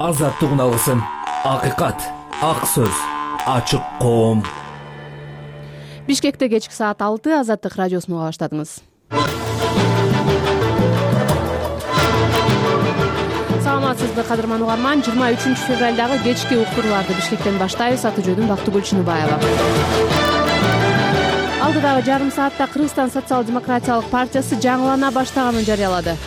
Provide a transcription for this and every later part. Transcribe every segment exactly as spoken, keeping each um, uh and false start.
азаттык алсын. Акыйкат, ак сөз, ачык коом. Бишкекте кечки саат алты Азаттык радиосун уга баштадыңыз. Саламатсызбы кадырман угарман, жыйырма үчүнчү февралдагы кечки уктурууларды Бишкектен баштайбыз. Аты жөнүм Бактыгүл Чыныбаева. Алдыдагы жарым саатта Кыргызстан социал-демократиялык партиясы жаңылана баштаганын жарыялады.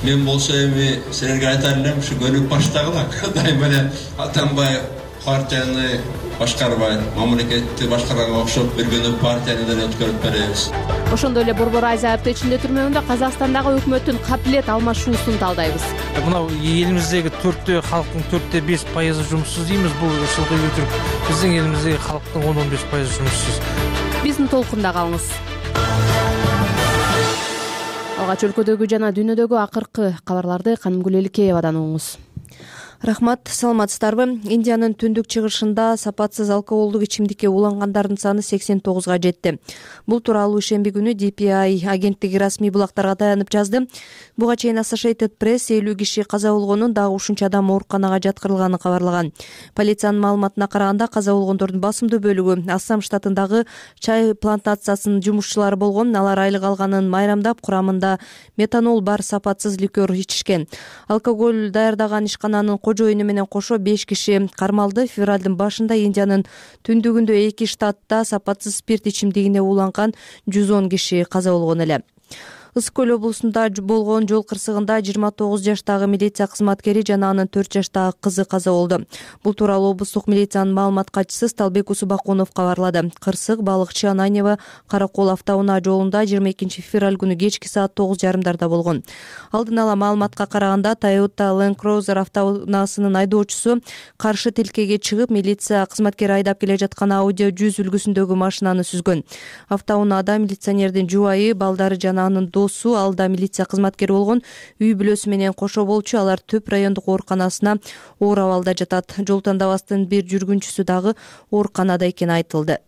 Мен болсо эми силерге айтар элем, ушу көнүп баштагыла. Дайыма эле Атамбай партияны башкарбай, мамлекетти башкарганга окшоп бир күнү партияны деле өткөрүп беребиз. Ошондой эле Борбор Азия айыптоочунун түрмөгүндө Казакстандагы өкмөттүн кабилет алмашуусун талдайбыз. Мына элимиздеги төрттө халктын төрттө беш пайызы жумушсуз дейбиз. Бул ушулдай өтүрүп, биздин элимиздеги халктын он он беш пайызы жумушсуз. Биздин толкунда калыңыз. Алгач өлкөдөгү жана дүйнөдөгү акыркы кабарларды Канымгүл Эликеевадан угуңуз. Рахмат, саламатсыздарбы? Индиянын түндүк чыгышында сапатсыз алкоголдук ичимдикке улангандардын саны сексен тогузга жетти. Бул тууралуу ишемби күнү ди пи ай агенттиги расмий булактарга таянып жазды. Буга чейин Associated Press элүү киши каза болгонун, дагы ушунча адам ооруканага жаткырылганын кабарлаган. Полициянын маалыматына караганда каза болгондордун басымдуу бөлүгү Ассам штатындагы чай плантациясынын жумушчулары болгон. Алар айлык алганын майрамдап, курамында метанол бар сапатсыз ликер ичишкен. Алкоголь даярдаган ишкананын кожоюну менен кошо беш киши кармалды. Февралдын башында Индиянын түндүгүндө эки штатта сапатсыз спирт ичимдигине уланган жүз он киши каза болгон эле. Ысык көл облусунда болгон жол кырсыгында жыйырма тогуз жаштагы милиция кызматкери жана анын төрт жаштагы кызы каза болду. Бул тууралуу облустук милициянын маалымат катчысы Сталбек Усубакунов кабарлады. Кырсык балыкчы Ананьево Каракол автоунаа жолунда жыйырма экинчи февраль күнү кечки саат тогуз жарымдарда болгон. Алдын ала маалыматка караганда Toyota Land Cruiser автоунаасынын айдоочусу каршы тилкеге чыгып, милиция кызматкери айдап келе жаткан Audi жүз үлгүсүндөгү машинаны сүзгөн. Автоунаада милиционердин жубайы, балдары жана анын досу, алда милиция кызматкери болгон үй бүлөсү менен кошо болчу. Алар Төп райондук ооруканасына оор абалда жатат. Жол тандабастын бир жүргүнчүсү дагы ооруканада экени айтылды.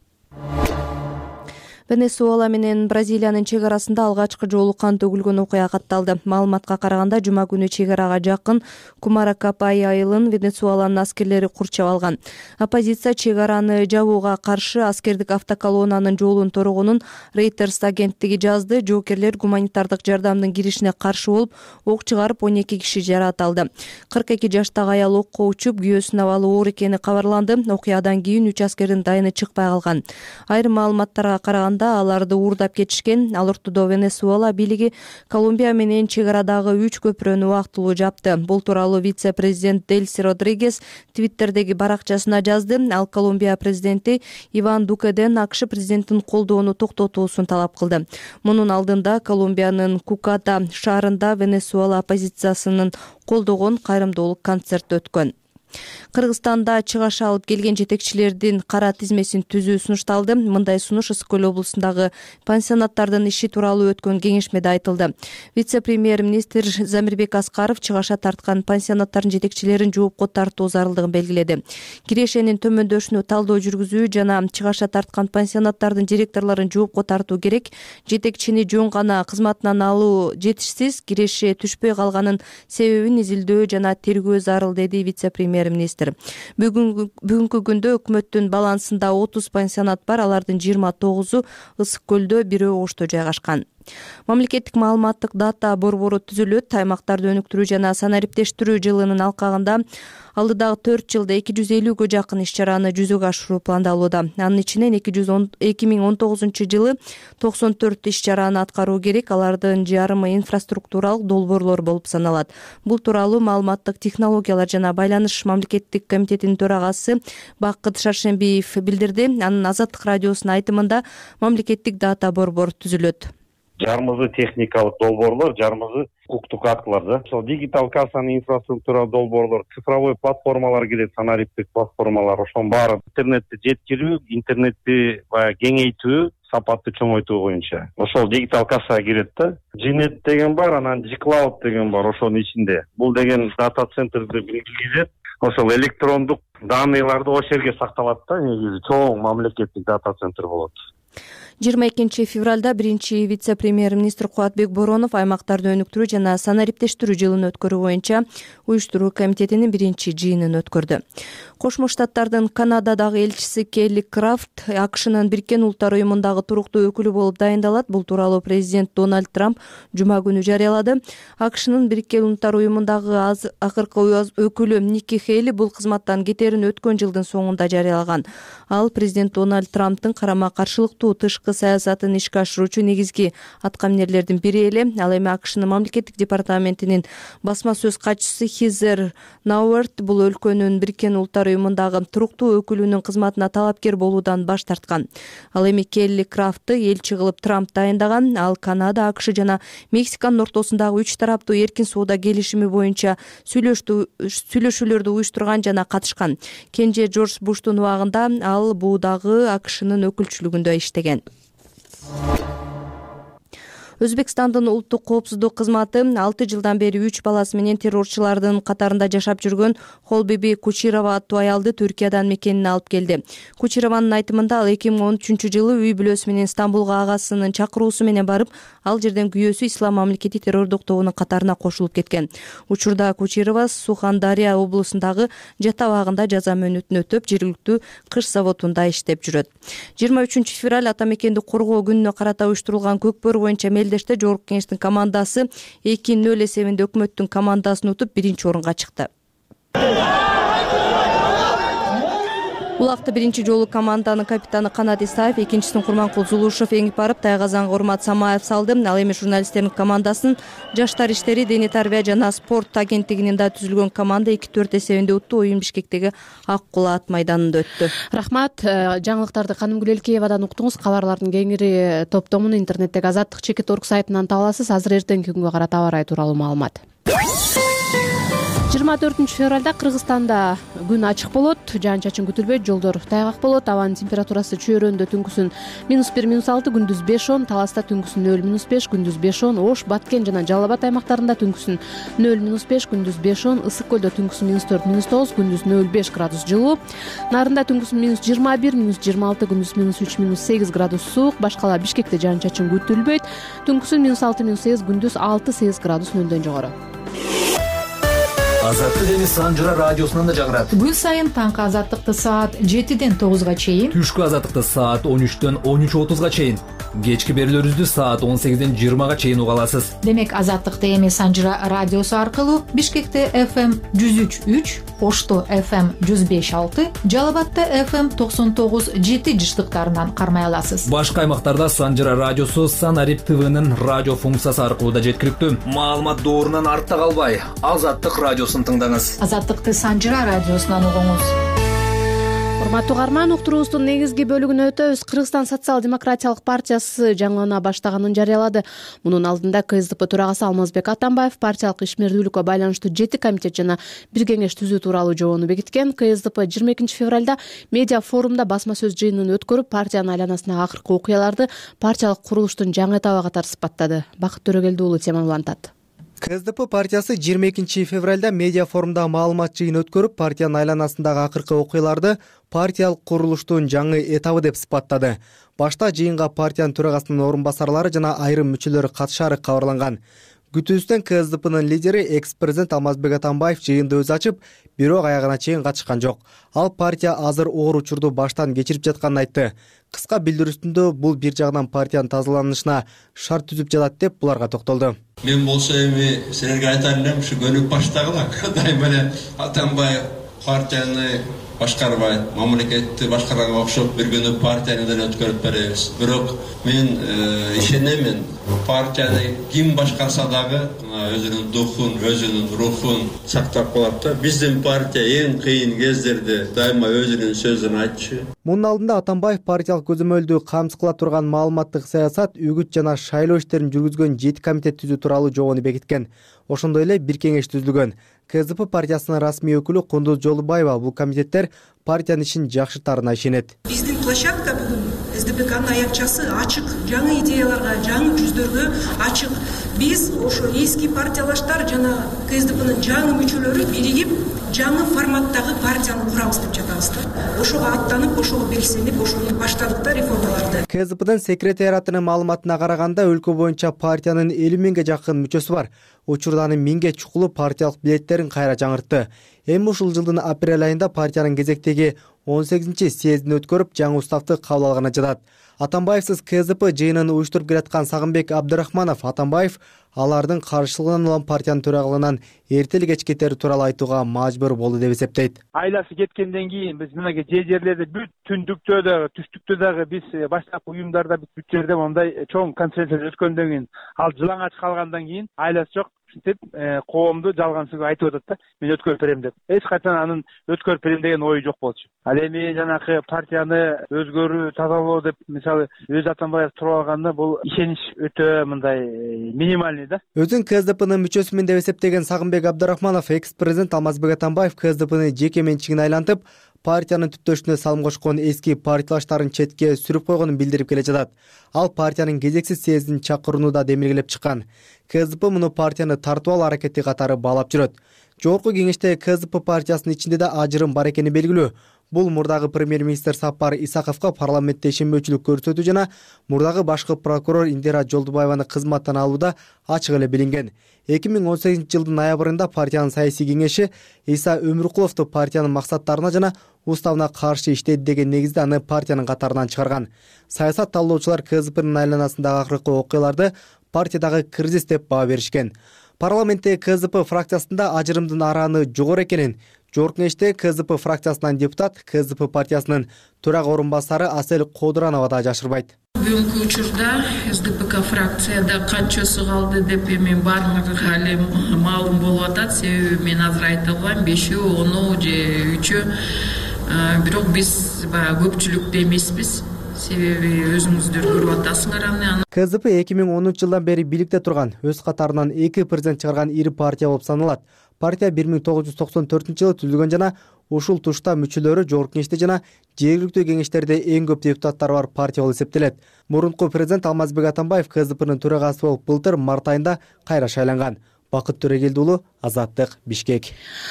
Венесуэла менен Бразилиянын чек арасында алгачкы жолу кан төгүлгөн окуя катталды. Маалыматка караганда жума күнү чек арага жакын Кумаракапай айылын Венесуэланын аскерлери курчап алган. Оппозиция чек араны жабууга каршы аскердик автоколоннанын жолун торогонун Reuters агенттиги жазды. Жоокерлер гуманитардык жардамдын киришине каршы болуп, ок чыгарып он эки киши жараат алды. кырк эки жаштагы аял окко учуп, күйөөсүнүн абалы оор экени кабарланды. Окуядан кийин үч аскердин дайыны чыкпай калган. Айрым маалыматтарга караганда аларды уурдап кетишкен. Ал ортодо Венесуэла бийлиги Колумбия менен чек арадагы үч көпүрөнү убактылуу жапты. Бул тууралуу вице-президент Дельси Родригес Твиттердеги баракчасына жазды. Ал Колумбия президенти Иван Дукеден АКШ президентин колдоону токтотуусун талап кылды. Мунун алдында Колумбиянын Куката шаарында Венесуэла оппозициясынын колдогон кайрымдуулук концерти өткөн. Кыргызстанда чыгаш алып келген жетекчилердин кара тизмесин түзүү сунушталды. Мындай сунуш Ысык көл облусундагы пансионаттардын иши тууралуу өткөн кеңешмеде айтылды. Вице-премьер-министр Замирбек Аскаров чыгаша тарткан пансионаттардын жетекчилерин жоопко тартуу зарылдыгын белгиледи. Кирешенин төмөндөшүнө талдоо жүргүзүү жана чыгаша тарткан пансионаттардын директорлорун жоопко тартуу керек. Жетекчини жөн гана кызматынан алуу жетишсиз, киреше түшпөй калганын себебин изилдөө жана тергөө зарыл, деди вице-премьер министр. Бүгүнкү бүгүнкү күндө өкмөттүн балансында отуз пансионат бар. Алардын жыйырма тогузу Ысык көлдө, бирөө Ошто жайгашкан. Мамлекеттик маалыматтык дата борбору түзүлөт. Аймактарды өнүктүрүү жана санариптештирүү жылынын алкагында алдыдагы төрт жылда эки жүз элүүгө жакын иш-чараны жүзөгө ашыруу пландалууда. Анын ичинен эки миң он тогузунчу жылы токсон төрт иш-чараны аткаруу керек. Алардын жарымы инфраструктуралык долбоорлор болуп саналат. Бул тууралуу маалыматтык технологиялар жана байланыш мамлекеттик комитетинин төрагасы Бакыт Шаршембиев билдирди. Анын Азаттык радиосунун айтымында мамлекеттик дата борбор түзүлөт. Жарымызы техникалык долбоорлор, жарымызы укуктук актылар да. Ошол дигитал кассанын инфраструктура долбоорлор, цифровой платформалар келет, санариптик платформалар, ошонун баары интернетти жеткирүү, интернетти баягы кеңейтүү, сапатты чоңойтуу боюнча. Ошол дигитал касса кирет да. Жинет деген бар, анан G-Cloud деген бар ошонун ичинде. Бул деген дата центрди белгилейт. Ошол электрондук данныйларды ошол жерге сакталат да, негизи чоң мамлекеттик дата центр болот. жыйырма экинчи февралда биринчи вице-премьер-министр Кубатбек Боронов аймактарды өнүктүрүү жана санариптештирүү жылын өткөрүү боюнча уюштуруу комитетинин биринчи жыйынын өткөрдү. Кошмо Штаттардын Канададагы элчиси Келли Крафт АКШнын Бириккен Улуттар уюмундагы туруктуу өкүлү болуп дайындалат. Бул тууралуу президент Дональд Трамп жума күнү жарыялады. АКШнын Бириккен Улуттар уюмундагы акыркы өкүлү Ники Хейли бул кызматтан кетерин өткөн жылдын соңунда жарыялаган. Ал президент Дональд Трамптын карама каршылыктуу тышкы саясатын ишке ашыруучу негизги аткаминерлердин бири эле. Ал эми АКШнын мамлекеттик департаментинин басма сөз катчысы Хизер Науэрт бул өлкөнүн Бириккен Улуттар уюмундагы туруктуу өкүлүнүн кызматына талапкер болуудан баш тарткан. Ал эми Келли Крафтты элчи кылып Трамп дайындаган. Ал Канада, АКШ жана Мексиканын ортосундагы үч тараптуу эркин соода келишими боюнча сүйлөшүүлөрдү уюштурган жана катышкан. Кенже Жорж Буштун убагында ал буудагы АКШнын өкүлчүлүгүндө иштеген. Өзбекстандын улуттук коопсуздук кызматы алты жылдан бери үч баласы менен террорчулардын катарында жашап жүргөн Холбиби Кучирова аттуу аялды Түркиядан мекенине алып келди. Кучированын айтымында ал эки миң он үчүнчү жылы үй бүлөсү менен Стамбулга агасынын чакыруусу менен барып, ал жерден күйөөсү Ислам мамлекети террордук тобунун катарына кошулуп кеткен. Учурда Кучирова Сухандария облусундагы жат абагында жаза мөөнөтүн өтөп, жергиликтүү кыш заводунда иштеп жүрөт. жыйырма үчүнчү февраль ата мекенди коргоо күнүнө карата уюштурулган көкбөр боюнча Мелдеште Жогорку Кеңештин командасы эки нөл эсебинде өкмөттүн командасын утуп биринчи орунга чыкты. Улакты биринчи жолу команданын капитаны Канат Исаев, экинчисин Курманкул Зулушев эңип барып, Тайгазанга Урмат Самаев салды. Ал эми журналисттердин командасын Жаштар иштери, дене тарбия жана спорт агенттигинин да түзүлгөн команда эки төрт эсебинде утту. Оюн Бишкектеги Ак Кулаат майданында өттү. Рахмат. Жаңылыктарды Канымгүл Элкеевадан уктуңуз. Кабарлардын кеңири топтомун интернеттеги азаттык чекит точка орг сайтынан таба аласыз. Азыр эртеңки күнгө карата аба ырайы тууралуу маалымат. жыйырма төртүнчү февралда Кыргызстанда күн ачык болот, жаан-чачын күтүлбөйт, жолдор тайгак болот. Абанын температурасы чөйрөндө түнкүсүн минус бир минус алты, күндүз беш он, Таласта түнкүсүн нөл минус беш, күндүз беш он, Ош, Баткен жана Жалал Абад аймактарында түнкүсүн нөл минус беш, күндүз беш он, Ысык көлдө түнкүсүн минус төрт минус тогуз, күндүз нөл беш градус жылуу, Нарында түнкүсүн минус жыйырма бир, минус жыйырма алты, күндүз минус үч минус сегиз градус суук, башкала Бишкекте жаан-чачын күтүлбөйт, түнкүсүн минус алты минус сегиз, күндүз алты сегиз градус нөлдөн жогору. Азаттык эми Санжыра радиосунан да жагырат. Күн сайын таңкы азаттыкты саат жетиден тогузга чейин, Түшкү азаттыкты саат он үчтөн он үч отузга чейин, кечки берүүлөрүбүздү саат он сегизден жыйырмага чейин уга аласыз. Демек азаттыкты эми Санжыра радиосу аркылуу Бишкекте эф эм жүз үч үч, Ошто эф эм жүз беш алты, Жалал Абадта эф эм токсон тогуз жети жыштыктарынан кармай аласыз. Башка аймактарда Санжыра радиосу Санарип ТВнын радио функциясы аркылуу да жеткиликтүү. Маалымат доорунан артта калбай, Азаттык радиосун тыңдаңыз. Азаттыкты Санжыра радиосунан угуңуз. Урматтуу угарман, уктуруубуздун негизги бөлүгүнө өтөбүз. Кыргызстан социал-демократиялык партиясы жаңылана баштаганын жарыялады. Мунун алдында ка эс дэ пэ төрагасы Алмазбек Атамбаев партиялык ишмердүүлүккө байланыштуу жети комитет жана бир кеңеш түзүү тууралуу жобону бекиткен. ка эс дэ пэ жыйырма экинчи февралда медиа форумда басма сөз жыйынын өткөрүп, партиянын айланасындагы акыркы окуяларды партиялык курулуштун жаңы этабы катары сыпаттады. Бакыт Төрөгелди уулу тема улантат. ка эс дэ пэ партиясы жыйырма экинчи февралда медиа форумда маалымат жыйын өткөрүп, партиянын айланасындагы акыркы окуяларды партиялык курулуштун жаңы этабы деп сыпаттады. Башта жыйынга партиянын төрагасынын орун басарлары жана айрым мүчөлөрү катышаары кабарланган. Күтүүбүздөн ка эс дэ пэнын лидери экс-президент Алмазбек Атамбаев жыйынды өзү ачып, бирок аягына чейин катышкан жок. Ал партия азыр оор учурду баштан кечирип жатканын айтты. Кыска билдирүүсүндө бул бир жагынан партиянын тазаланышына шарт түзүп жатат деп буларга токтолду. Мен болсо эми силерге айтар элем, ушу көнүп баштагыла. Дайыма эле Атамбаев партияны башкарбайт, мамлекетти башкарганга окшоп бир күнү партияны деле өткөрүп беребиз. Бирок мен ишенемин, партияны ким башкарса дагы өзүнүн духун, өзүнүн рухун сактап калат да. Биздин партия эң кыйын кездерде дайыма өзүнүн сөзүн айтчу. Мунун алдында Атамбаев партиялык көзөмөлдү камсыз кыла турган маалыматтык саясат, үгүт жана шайлоо иштерин жүргүзгөн жети комитет түзүү тууралуу жобону бекиткен. Ошондой эле бир кеңеш түзүлгөн. ка эс дэ пэ партиясынын расмий өкүлү Кундуз Жолубаева бул комитеттер партиянын ишин жакшыртаарына ишенет. Биздин площадка бүгүн эс дэ пэ канын аякчасы ачык, жаңы идеяларга, жаңы жүздөргө ачык. Биз ошо эски партиялаштар жана ка эс дэ пэнин жаңы мүчөлөрү биригип жаңы форматтагы партияны курабыз деп жатабыз да. Ошого аттанып, ошого белсенип, ошону баштадык да реформаларды. КСДПдын секретариатынын маалыматына караганда өлкө боюнча партиянын элүү миңге жакын мүчөсү бар. Учурда анын миңге чукулу партиялык билеттерин кайра жаңыртты. Эми ушул жылдын апрель айында партиянын кезектеги он сегизинчи съездин өткөрүп, жаңы уставды кабыл алганы жатат. Атамбаевсиз КСДП жыйынын уюштуруп келаткан Сагынбек Абдрахманов Атамбаев алардын каршылыгынан улам партиянын төрагалыгынан эрте эле кеч кетери тууралуу айтууга мажбур болду деп эсептейт. Айласы кеткенден кийин биз мынакей же жерлерде бүт түндүктө дагы, түштүктө дагы биз баштапкы уюмдарда бүт жерде мондай чоң конференция өткөндөн кийин, ал жылаңач калгандан кийин айласы жок деп коомду жалгансыз айтып атат да. Мен өткөрүп берем деп. Эч качан анын өткөрүп берем деген ою жок болчу. Ал эми жанакы партияны өзгөрүү, тазалоо деп мисалы өзү Атамбаев туруп алганда бул ишенич өтө мындай минимальный да. Өзүн КСДПнын мүчөсүмүн деп эсептеген Сагынбек Абдрахманов экс-президент Алмазбек Атамбаев КСДПны жеке менчигине айлантып, партиянын түптөшүнө салым кошкон эски партиялаштарын четке сүрүп койгонун билдирип келе жатат. Ал партиянын кезексиз съездин чакырууну да демилгелеп чыккан. КСДП муну партияны тартып алуу аракети катары баалап жүрөт. Жогорку кеңеште КСДП партиясынын ичинде да ажырым бар экени белгилүү. Бул мурдагы премьер-министр Сапар Исаковго парламентте ишенбөөчүлүк көрсөтүү жана мурдагы башкы прокурор Индира Жолдубаеваны кызматтан алууда ачык эле билинген. эки миң он сегизинчи жылдын ноябрында партиянын саясий кеңеши Иса Өмүркуловду партиянын максаттарына жана уставына каршы иштейт деген негизде аны партиянын катарынан чыгарган. Саясат талдоочулар КСДПнын айланасындагы акыркы окуяларды партиядагы кризис деп баа беришкен. Парламентте КСДП фракциясында ажырымдын арааны жогору экенин, жогорку кеңеште КСДП фракциясынан депутат, КСДП партиясынын төрага орун басары Асел Кодуранова да жашырбайт. Бүгүнкү учурда СДПК фракцияда канчасы калды деп эми баарыңарга эле маалым болуп атат. Себеби мен азыр айта албайм, бешөө, ону же үчөө. Бирок биз баягы көпчүлүктө эмеспиз. Себеби өзүңүздөр көрүп атасыңар аны. КСДП эки миң онунчу жылдан бери бийликте турган, өз катарынан эки президент чыгарган ири партия болуп саналат. Партия бир миң тогуз жүз токсон төртүнчү жылы түзүлгөн жана ушул тушта мүчөлөрү жогорку кеңеште жана жергиликтүү кеңештерде эң көп депутаттары бар партия болуп эсептелет. Мурунку президент Алмазбек Атамбаев КСДПнын төрагасы болуп былтыр март айында кайра шайланган. Бакыт Төрегелди уулу, Азаттык, Бишкек.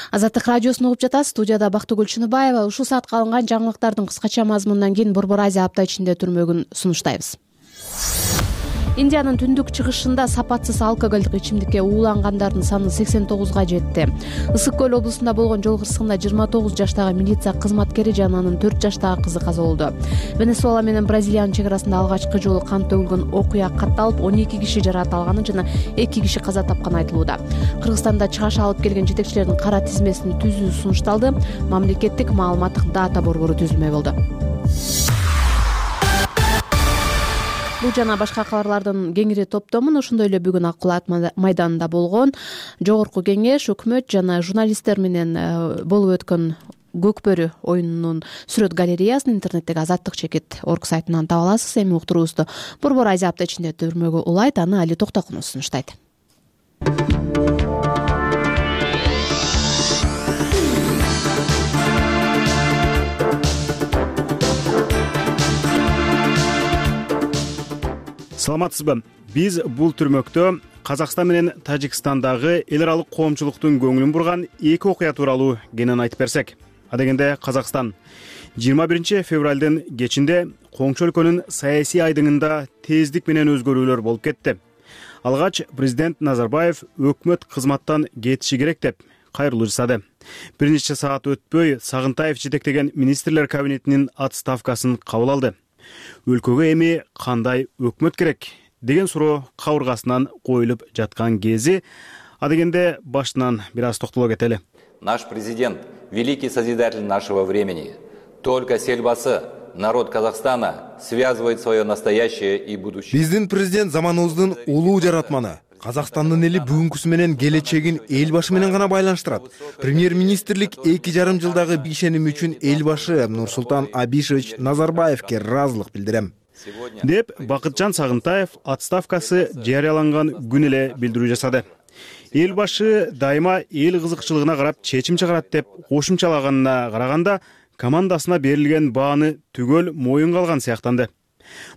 Азаттык радиосун угуп жатасыз. Студияда Бактыгүл Чыныбаева. Ушул саатка алынган жаңылыктардын кыскача мазмунунан кийин Борбор Азия апта ичинде түрмөгүн сунуштайбыз. Индиянын түндүк чыгышында сапатсыз алкоголдук ичимдикке уулангандардын саны сексен тогузга жетти. Ысык көл облусунда болгон жол кырсыгында жыйырма тогуз жаштагы милиция кызматкери жана анын төрт жаштагы кызы каза болду. Венесуэла менен Бразилиянын чек арасында алгачкы жолу кан төгүлгөн окуя катталып, он эки киши жаракат алганы жана эки киши каза тапканы айтылууда. Кыргызстанда чыгаш алып келген жетекчилердин кара тизмесин түзүү сунушталды. Мамлекеттик маалыматтык дата борбору түзүлмөй болду. Бул жана башка кабарлардын кеңири топтомун ошондой эле бүгүн Аккулат майданында болгон жогорку кеңеш, өкмөт жана журналисттер менен болуп өткөн Көкбөрү оюнунун сүрөт галереясын интернеттеги Азаттык чекит орг сайтынан таба аласыз. Эми уктуруубузду Борбор Азия апта ичинде түрмөгө улайт, аны Али Токтокунов сунуштайт. Саламатсызбы? Биз бул түрмөктө Казакстан менен Тажикстандагы эл аралык коомчулуктун көңүлүн бурган эки окуя тууралуу кенен айтып берсек. Адегенде Казакстан жыйырма биринчи февралдын кечинде коңшу өлкөнүн саясий айдыңында тездик менен өзгөрүүлөр болуп кетти. Алгач президент Назарбаев өкмөт кызматтан кетиши керек деп кайрылуу жасады. Бир нече саат өтпөй Сагынтаев жетектеген министрлер кабинетинин отставкасын кабыл алды. Өлкөгө эми кандай өкмөт керек деген суроо кабыргасынан коюлуп жаткан кези, адегенде башынан бир аз токтоло кетели. Наш президент, великий созидатель нашего времени, только с Эльбасы народ Казахстана связывает свое настоящее и будущее. Биздин президент заманыбыздын улуу жаратманы. Казакстандын эли бүгүнкүсү менен келечегин эл башы менен гана байланыштырат. Премьер-министрлик эки жарым жылдагы ишеним үчүн эл башы Нурсултан Абишевич Назарбаевке ыраазылык билдирем деп Бакытжан Сагынтаев отставкасы жарыяланган күн эле билдирүү жасады. Эл башы дайыма эл кызыкчылыгына карап чечим чыгарат деп кошумчалаганына караганда командасына берилген бааны түгөл моюнга алган сыяктанды.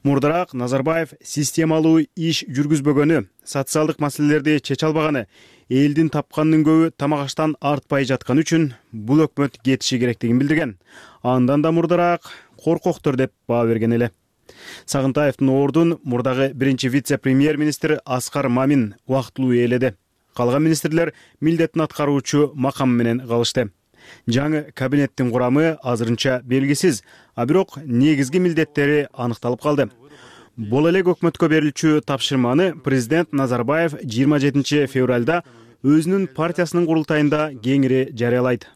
Мурдараак Назарбаев системалуу иш жүргүзбөгөнү, социалдык маселелерди чече албаганы, элдин тапканынын көбү тамак аштан артпай жатканы үчүн бул өкмөт кетиши керектигин билдирген. Андан да мурдараак коркоктор деп баа берген эле. Сагынтаевдин ордун мурдагы биринчи вице-премьер-министр Аскар Мамин убактылуу ээледи. Калган министрлер милдетин аткаруучу макам менен калышты. Жаңы кабинеттин курамы азырынча белгисиз, а бирок негизги милдеттери аныкталып калды. Бул эле өкмөткө берилчү тапшырманы президент Назарбаев жыйырма жетинчи февралда өзүнүн партиясынын курултайында кеңири жарыялайт.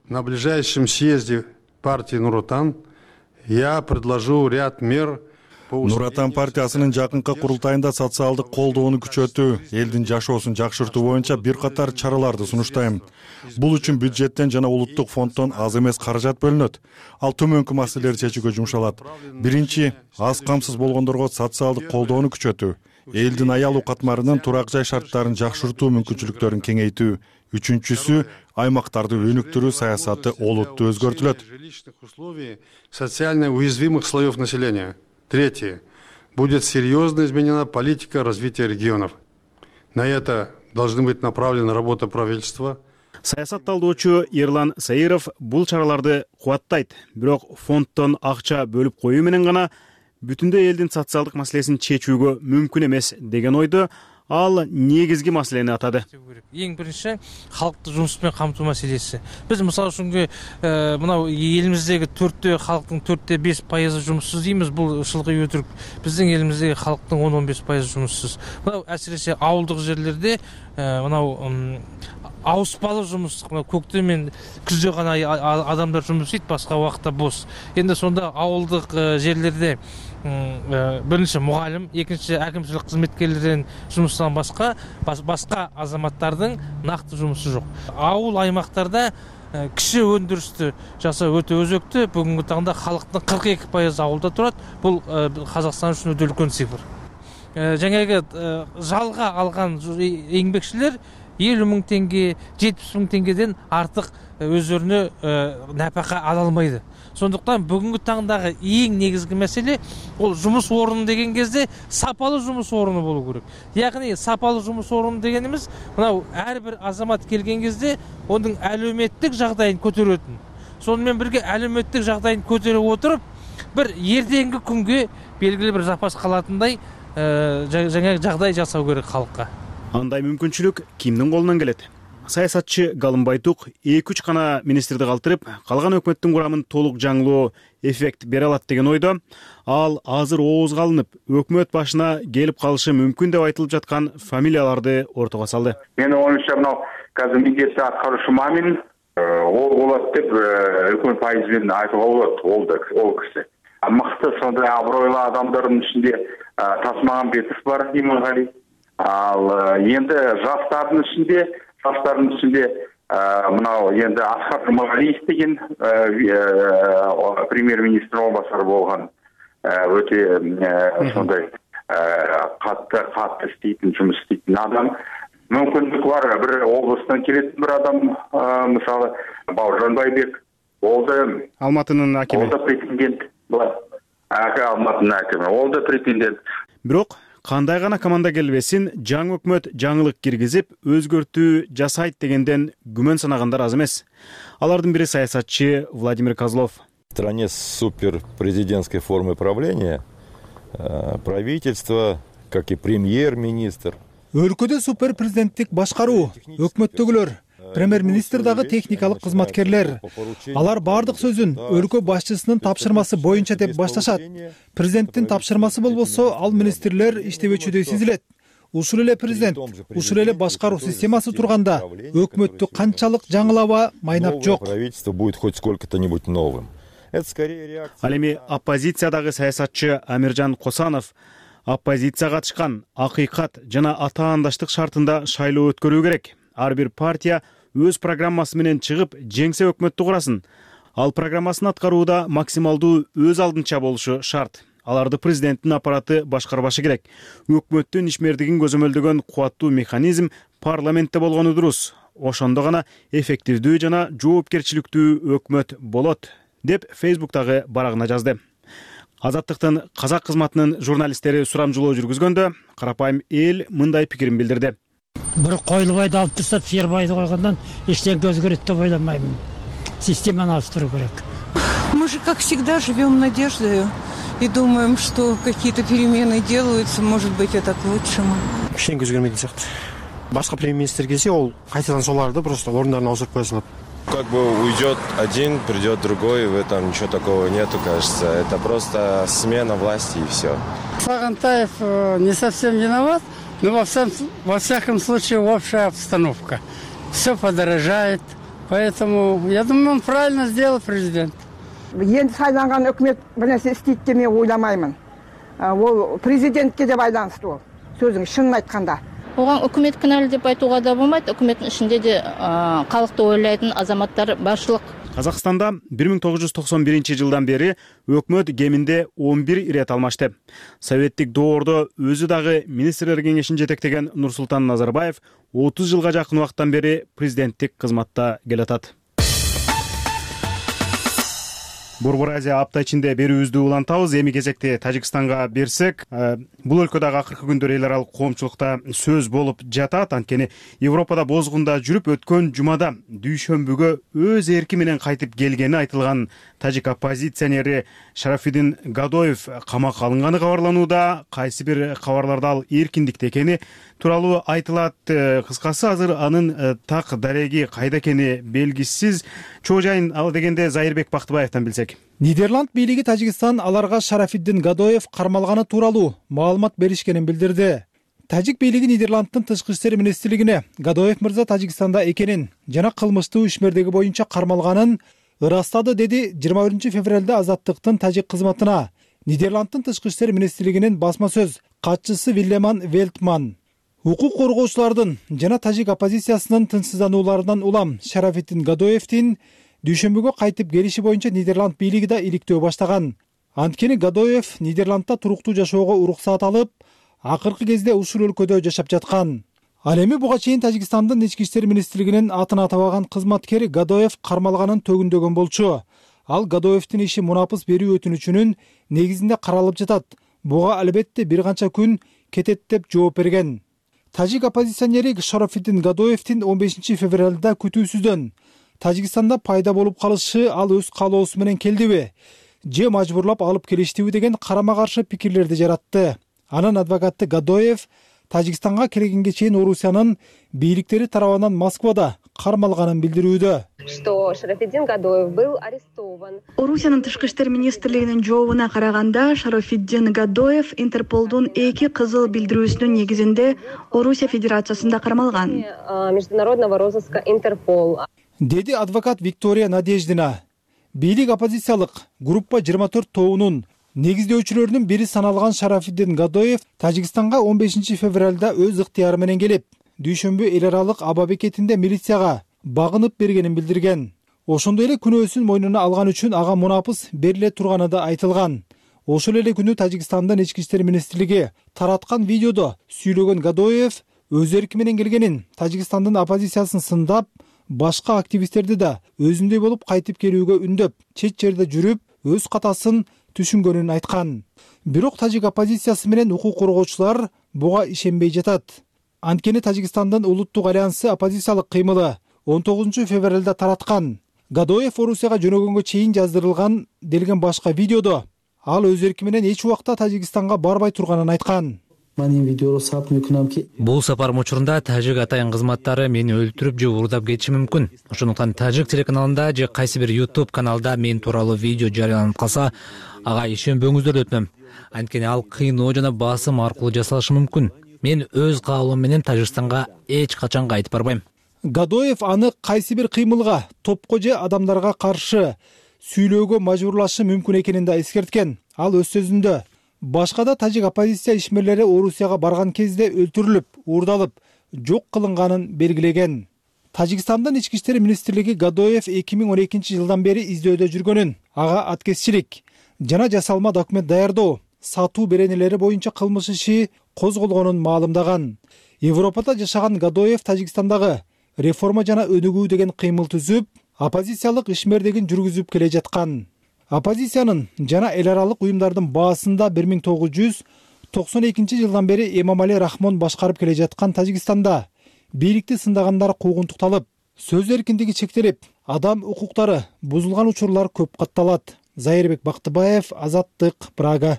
На ближайшем съезде партии Нур-Отан я предложу ряд мер. Нур-Отан партиясынын жакынкы курултайында социалдык колдоону күчөтүү, элдин жашоосун жакшыртуу боюнча бир катар чараларды сунуштайм. Бул үчүн бюджеттен жана улуттук фонддон аз эмес каражат бөлүнөт. Ал төмөнкү маселелерди чечүүгө жумшалат. Биринчи, аз камсыз болгондорго социалдык колдоону күчөтүү, элдин аялуу катмарынын турак жай шарттарын жакшыртуу мүмкүнчүлүктөрүн кеңейтүү. Үчүнчүсү, аймактарды өнүктүрүү саясаты олуттуу өзгөртүлөт. Социально уязвимых слоев населения. Третье. Будет серьезно изменена политика развития регионов. На это должны быть направлена работа правительства. Саясат талдоочу Ерлан Саиров бул чараларды кубаттайт. Бирок фонддон акча бөлүп коюу менен гана бүтүндөй элдин социалдык маселесин чечүүгө мүмкүн эмес деген ойду ал негизги маселени атады. Эң биринчи халыкты жумуш менен камтуу маселеси. Биз мисалы үчүн мынау элибиздеги төрттө халктын төрттө беш пайызы жумуссуз дейбиз. Бул ушулга өтүрүк. Биздин элибиздеги халктын он он беш пайызы жумуссуз. Мынау әсиресе ауылдык жерлерде мынау ауыспалы жумуш, көктөм менен күздө гана адамдар жумуш істейт, башка убакытта бос. Энди сонда ауылдык жерлерде биринчи мугалим, экинчи әкимчилик кызметкерлеринин жумушунан башка башка азаматтардын накты жумушу жок. Ауыл аймактарда киши өндүрүштү жасоо өтө өзөктүү. Бүгүнкү таңда халктын кырк эки пайызы ауылда турат. Бул Казакстан үчүн өтө үлкөн цифр. Жаңағы жалга алган еңбекчилер элүү миң теңге, жетимиш миң теңгеден артык өздөрүнө напака ала алмайды. Сондуктан бүгүнкү таңдагы эң негизги маселе ол жумуш орну деген кезде сапалы жумуш орну болуу керек. Яғни сапалы жумуш орну дегенimiz мынау ар бир азамат келген кезде онун әлеуметтик жагдайын көтөрөтүн. Сонымен бирге әлеуметтик жагдайын көтөрүп отуруп, бир эртеңки күнгө белгилүү бир запас калатындай жаңа жагдай жасау керек халыкка. Андай мүмкүнчүлүк кимдин колунан келет? Саясатчы Галым Байтук эки үч гана министрди калтырып, калган өкмөттүн курамын толук жаңылоо эффект бере алат деген ойдо. Ал азыр оозго алынып, өкмөт башына келип калышы мүмкүн деп айтылып жаткан фамилияларды ортого салды. Менин оюмча, мынау азыр милдетти аткаруучу Мамин ол болот деп үлкөн пайыз менен айтууга болот. Ол да ол киши. Мыкты сондай абройлуу адамдардын ичинде Тасмагамбетов бар, Имангали. Ал енді жастардың ішінде, жастардың ішінде мынау енді Асқар Жұмағалиев деген премьер-министр орынбасары болған, өте сондай қатты қатты істейтін, жұмыс істейтін адам. Мүмкіндік бар, бір облыстан келетін бір адам, мысалы Бауыржан Байбек, ол да Алматының әкімі. Ол да претендент бар. Алматының әкімі, ол да претендент. Бирок кандай гана команда келбесин, жаңы өкмөт жаңылык киргизип, өзгөртүү жасайт дегенден күмөн санагандар аз эмес. Алардын бири саясатчы Владимир Козлов. В стране с суперпрезидентской формой правления правительство, как и премьер-министр. Өлкөдө суперпрезиденттик башкаруу, өкмөттөгүлөр, премьер-министр дагы техникалык кызматкерлер. Алар бардык сөзүн өлкө башчысынын тапшырмасы боюнча деп башташат. Президенттин тапшырмасы болбосо, ал министрлер иштебечүдөй сезилет. Ушул эле президент, ушул эле башкаруу системасы турганда, өкмөттү канчалык жаңылаба майнап жок. Правительство будет хоть сколько-то-нибудь новым. Это скорее реакция. Ал эми оппозициядагы саясатчы Амиржан Косанов оппозиция катышкан акыйкат жана атаандаштык шартында шайлоо өткөрүү керек. Ар бир партия өз программасы менен чыгып, жеңсе өкмөттү курасын. Ал программасын аткарууда максималдуу өз алдынча болушу шарт. Аларды президенттин аппараты башкарбашы керек. Өкмөттүн ишмердигин көзөмөлдөгөн кубаттуу механизм парламентте болгону дурус. Ошондо гана эффективдүү жана жоопкерчиликтүү өкмөт болот, деп Фейсбуктагы барагына жазды. Азаттыктын казак кызматынын журналисттери сурамжылоо жүргүзгөндө карапайым эл мындай пикирин билдирди. Бир койлубайды алып тастап, сыйырбайды койгондон эчтеке өзгөрөт деп ойламайм. Системаны ауыстыруу керек. Мы же, как всегда, живем надеждой и думаем, что какие-то перемены делаются, может быть, это к лучшему. Кичине өзгөрмөйт сыяктуу. Башка премьер-министр келсе, ол кайтадан соларды просто орундарына ауыстырып кое салат. Как бы уйдет один, придет другой, в этом ничего такого нету, кажется. Это просто смена власти и все. Сагынтаев не совсем виноват, но во, всем, во всяком случае общая обстановка. Все подорожает, поэтому я думаю, он правильно сделал, президент. Енді сайланған өкімет бір нәрсе істейді деп мен ойламаймын. Ол президентке де байланысты ол. Сөзің шынын айтқанда. Оған өкімет кінәлі деп айтуға да болмайды. Өкіметтің ішінде де халықты ойлайтын азаматтар баршылық. Казакстанда бир миң тогуз жүз токсон биринчи жылдан бери өкмөт кеминде он бир ирет алмашты. Советтик доордо өзү дагы министрлер кеңешин жетектеген Нурсултан Назарбаев отуз жылга жакын убакыттан бери президенттик кызматта келатат. Борбор Азия апта ичинде берүүбүздү улантабыз. Эми кезекте Тажикстанга берсек, бул өлкөдөгү акыркы күндөр эл аралык коомчулукта сөз болуп жатат. Анткени Европада бозгунда жүрүп өткөн жумада дүйшөмбүгө өз эрки менен кайтып келгени айтылган тажик оппозиционери Шарафиддин Гадоев камакка алынганы кабарланууда. Кайсы бир кабарларда ал эркиндикте экени тууралуу айтылат. Кыскасы азыр анын так дареги кайда экени белгисиз. Чоо жайын ал дегенде Зайырбек Бактыбаевтан билсек. Нидерланд бийлиги Тажикстан аларга Шарафиддин Гадоев кармалганы тууралуу маалымат беришкенин билдирди. Тажик бийлиги Нидерландтын тышкы иштер министрлигине Гадоев мырза Тажикстанда экенин жана кылмыштуу ишмердиги боюнча кармалганын ырастады, деди жыйырма биринчи февралда Азаттыктын тажик кызматына Нидерландтын тышкы иштер министрлигинин басма сөз катчысы Виллеман Велтман. Укук коргоочулардын жана тажик оппозициясынын тынчсызданууларынан улам Шарафиддин Гадоевдин дүйшөмбүгө кайтып келиши боюнча Нидерланд бийлиги да иликтөө баштаган. Анткени Гадоев Нидерландда туруктуу жашоого уруксаат алып, акыркы кезде ушул өлкөдө жашап жаткан. Ал эми буга чейин Тажикстандын ички иштер министрлигинин атын атабаган кызматкер Гадоев кармалганын төгүндөгөн болчу. Ал Гадоевдин иши мунапыс берүү өтүнүчүнүн негизинде каралып жатат. Буга албетте бир канча күн кетет деп жооп берген. Тажик оппозиционери Шарафиддин Гадоевдин он бешинчи февралда күтүүсүздөн Тажикстанда пайда болуп калышы ал өз каалоосу менен келдиби же мажбурлап алып келиштиби деген карама каршы пикирлерди жаратты. Анын адвокаты Гадоев Тажикстанга келгенге чейин Орусиянын бийликтери тарабынан Москвада кармалганын билдирүүдө. Что Шарафиддин Гадоев был арестован. Орусиянын тышкы иштер министрлигинин жообуна караганда, Шарафиддин Гадоев Интерполдун эки кызыл билдирүүсүнүн негизинде Орусия Федерациясында кармалган. Международного розыска Интерпол. Деди адвокат Виктория Надеждина. Бийлик оппозициялык группа жыйырма төрт тобунун негиздөөчүлөрүнүн бири саналган Шарафиддин Гадоев Тажикстанга он бешинчи февралда өз ыктыяры менен келип, дүйшөмбү эл аралык аба бекетинде милицияга багынып бергенин билдирген. Ошондой эле күнөөсүн мойнуна алган үчүн ага мунапыс бериле турганы да айтылган. Ошол эле күнү Тажикстандын ички иштер министрлиги тараткан видеодо сүйлөгөн Гадоев өз эрки менен келгенин, Тажикстандын оппозициясын сындап, башка активисттерди да өзүндөй болуп кайтып келүүгө үндөп, чет жерде жүрүп, өз катасын түшүнгөнүн айткан. Бирок тажик оппозициясы менен укук коргоочулар буга ишенбей жатат. Анткени Тажикстандын улуттук альянсы оппозициялык кыймылы он тогузунчу февралда тараткан. Гадоев Орусияга жөнөгөнгө чейин жаздырылган делген башка видеодо ал өз эрки менен эч убакта Тажикстанга барбай турганын айткан. Бул сапар учурунда тажик атайын кызматтары мени өлтүрүп же уурдап кетиши мүмкүн. Ошондуктан тажик телеканалында же кайсы бир YouTube каналда мен тууралуу видео жарыяланып калса, ага ишенбөңүздөр деп өтүнөм. Анткени ал кыйноо жана басым аркылуу жасалышы мүмкүн. Мен өз каалоом менен Тажикстанга эч качан кайтып барбайм. Гадоев аны кайсы бир кыймылга, топко же адамдарга каршы сүйлөөгө мажбурлашы мүмкүн экенин да эскерткен. Ал өз сөзүндө башка да тажик оппозиция ишмерлери Орусияга барган кезде өлтүрүлүп, уурдалып, жок кылынганын белгилеген. Тажикстандын ички иштер министрлиги Гадоев эки миң он экинчи жылдан бери издөөдө жүргөнүн, ага аткезчилик жана жасалма документ даярдоо, сатуу беренелери боюнча кылмыш иши козголгонун маалымдаган. Европада жашаган Гадоев Тажикстандагы реформа жана өнүгүү деген кыймыл түзүп, оппозициялык ишмердигин жүргүзүп келе жаткан. оппозициянын жана эл аралык уюмдардын баасында бир миң тогуз жүз токсон экинчи жылдан бери Эмомали Рахмон башкарып келе жаткан Тажикстанда бийликти сындагандар куугунтукталып, сөз эркиндиги чектелип, адам укуктары бузулган учурлар көп катталат. Зайырбек Бактыбаев, Азаттык, Прага.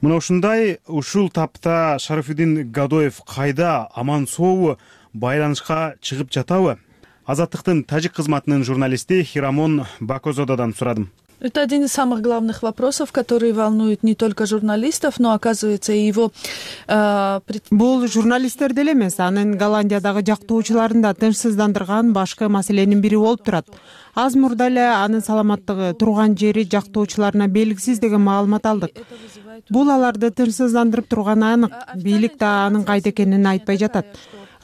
Мына ушундай ушул тапта Шарафиддин Гадоев кайда, аман сообу, байланышка чыгып жатабы? Азаттыктын тажик кызматынын журналисти Хирамон Бакозодадан сурадым. Это один из самых главных вопросов, которые волнуют не только журналистов, но, оказывается, и его... Э, пред... Бул журналисттерди эле эмес, анын Голландиядагы жактоочуларын да тынчсыздандырган башкы маселенин бири болуп турат. Аз мурда эле анын саламаттыгы, турган жери жактоочуларына белгисиз деген маалымат алдык. Бул аларды тынчсыздандырып турганы анык. Бийлик да анын кайда экенин айтпай жатат.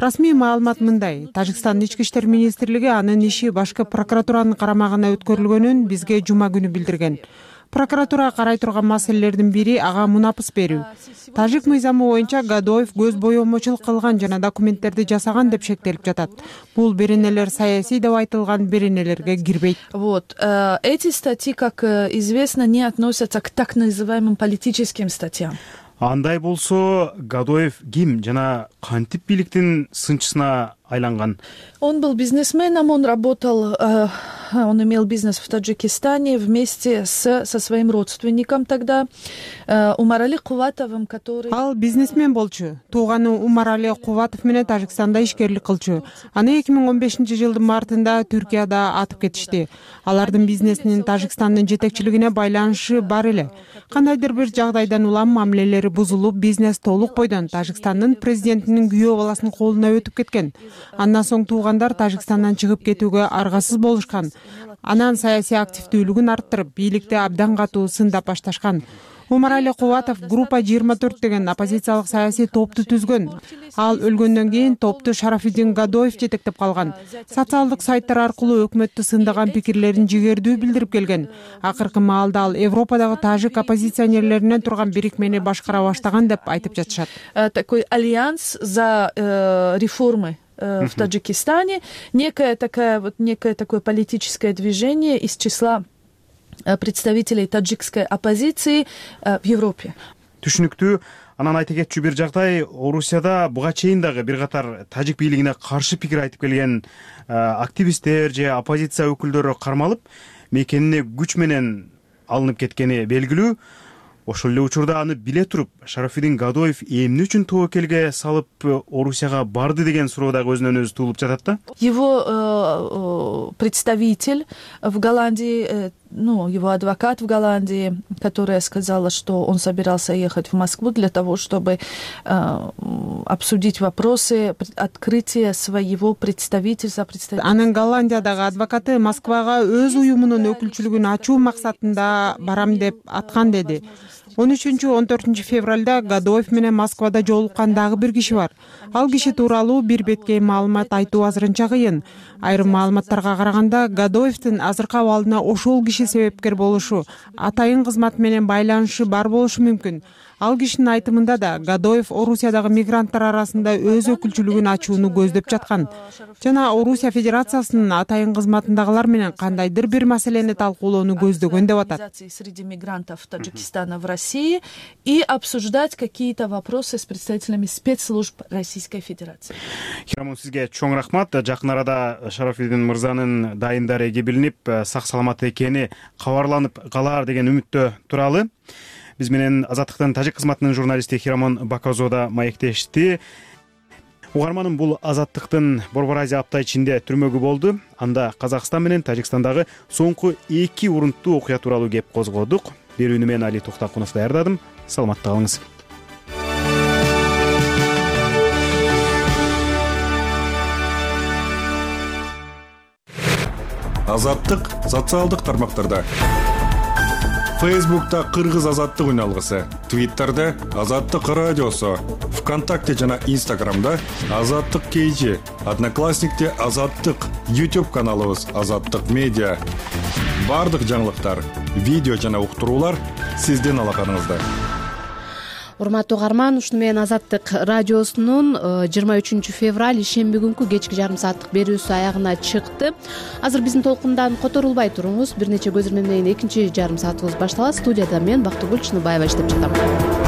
Расмий маалымат мындай: Тажикстандын ички иштер министрлиги анын иши башкы прокуратуранын карамагына өткөрүлгөнүн бизге жума күнү билдирген. Прокуратура карай турган маселелердин бири ага мунапыс берүү. Тажик мыйзамы боюнча Гадоев көз боемочулук кылган жана документтерди жасаган деп шектелип жатат. Бул беренелер саясий деп айтылган беренелерге кирбейт. Вот. Эти статьи, как известно, не относятся к так называемым политическим статьям. Андай болсо, Гадоев ким жана кантип бийликтин сынчысына айланган? Он был бизнесменом, он работал, э, он имел бизнес в Таджикистане вместе с, со своим родственником тогда, э, Умарали Куватовым, который... Ал бизнесмен болчу. Тууганы Умарали Куватов менен Тажикстанда ишкерлик кылчу. Аны эки миң он бешинчи жылдын мартында Түркияда атып кетишти. Алардын бизнесинин Тажикстандын жетекчилигине байланышы бар эле. Кандайдыр бир жагдайдан улам мамилелери бузулуп, бизнес толук бойдон Тажикстандын президентинин күйөө баласынын колуна өтүп кеткен. Андан соң туугандар Тажикстандан чыгып кетүүгө аргасыз болушкан. Анан саясий активдүүлүгүн арттырып, бийликти абдан катуу сындап башташкан. Умарали Куватов группа жыйырма төрт деген оппозициялык саясий топту түзгөн. Ал өлгөндөн кийин топту Шарафиддин Гадоев жетектеп калган. Социалдык сайттар аркылуу өкмөттү сындаган пикирлерин жигердүү билдирип келген. Акыркы маалда ал Европадагы тажик оппозиционерлеринен турган бирикмени башкара баштаган деп айтып жатышат. Такой альянс за э, реформы в Таджикистане, некое такое вот некое такое политическое движение из числа представителей таджикской оппозиции в Европе. Түшүнүктүү. Анан айта кетчү бир жагдай, Орусияда буга чейин дагы бир катар тажик бийлигине каршы пикир айтып келген активисттер же оппозиция өкүлдөрү кармалып, мекенине күч менен алынып кеткени белгилүү. Ошол эле учурда аны биле туруп, Шарафиддин Гадоев эмне үчүн тобокелге салып Орусияга барды деген суроо дагы өзүнөн өзү туулуп жатат да. Его э, представитель в Голландии, э, ну, его адвокат в Голландии, которая сказала, что он собирался ехать в Москву для того, чтобы э, обсудить вопросы открытия своего представительства. Анын Голландиядагы адвокаты Москвага өз уюмунун өкүлчүлүгүн ачуу максатында барам деп аткан деди. он үчүнчү он төртүнчү февралда Гадоев менен Москвада жолуккан дагы бир киши бар. Ал киши тууралуу бир беткей маалымат айтуу азырынча кыйын. Айрым маалыматтарга караганда Гадоевдин азыркы абалына ошол киши себепкер болушу, атайын кызмат менен байланышы бар болушу мүмкүн. Ал кишинин айтымында да Гадоев Орусиядагы мигранттар арасында өз өкүлчүлүгүн ачууну көздөп жаткан жана Орусия Федерациясынын атайын кызматындагылар менен кандайдыр бир маселени талкуулоону көздөгөн деп атат. Среди мигрантов Таджикистана в России и обсуждать какие-то вопросы с представителями спецслужб Российской Федерации. Хирамон, сизге чоң рахмат. Жакын арада Шарафиддин мырзанын дайын дареги билинип, сак саламат экени кабарланып калар деген үмүттө туралы. Биз менен Азаттыктын тажик кызматынын журналисти Хирамон Бакозода маектешти. Угарманым, бул Азаттыктын Борбор Азия апта ичинде түрмөгү болду. Анда Казакстан менен Тажикстандагы соңку эки урунттуу окуя тууралуу кеп козгодук. Берүүнү мен Али Токтакунов даярдадым. Саламатта калыңыз. Азаттык социалдык тармактарда. Фейсбукта Кыргыз азаттык үналгысы, Твиттерде Азаттык радиосу, ВКонтакте жана Инстаграмда Азаттык кейжи, Одноклассникте Азаттык, YouTube каналыбыз Азаттык медиа. Бардык жаңылыктар, видео жана уктуруулар сиздин алаканыңызда. урматтуу угарман, ушуну менен Азаттык радиосунун жыйырма үчүнчү февраль ишемби күнкү кечки жарым сааттык берүүсү аягына чыкты. Азыр биздин толкундан которулбай туруңуз. Бир нече көзөрмө менен экинчи жарым саатыбыз башталат. Студияда мен Бактыгүл Чыныбаева иштеп жатам.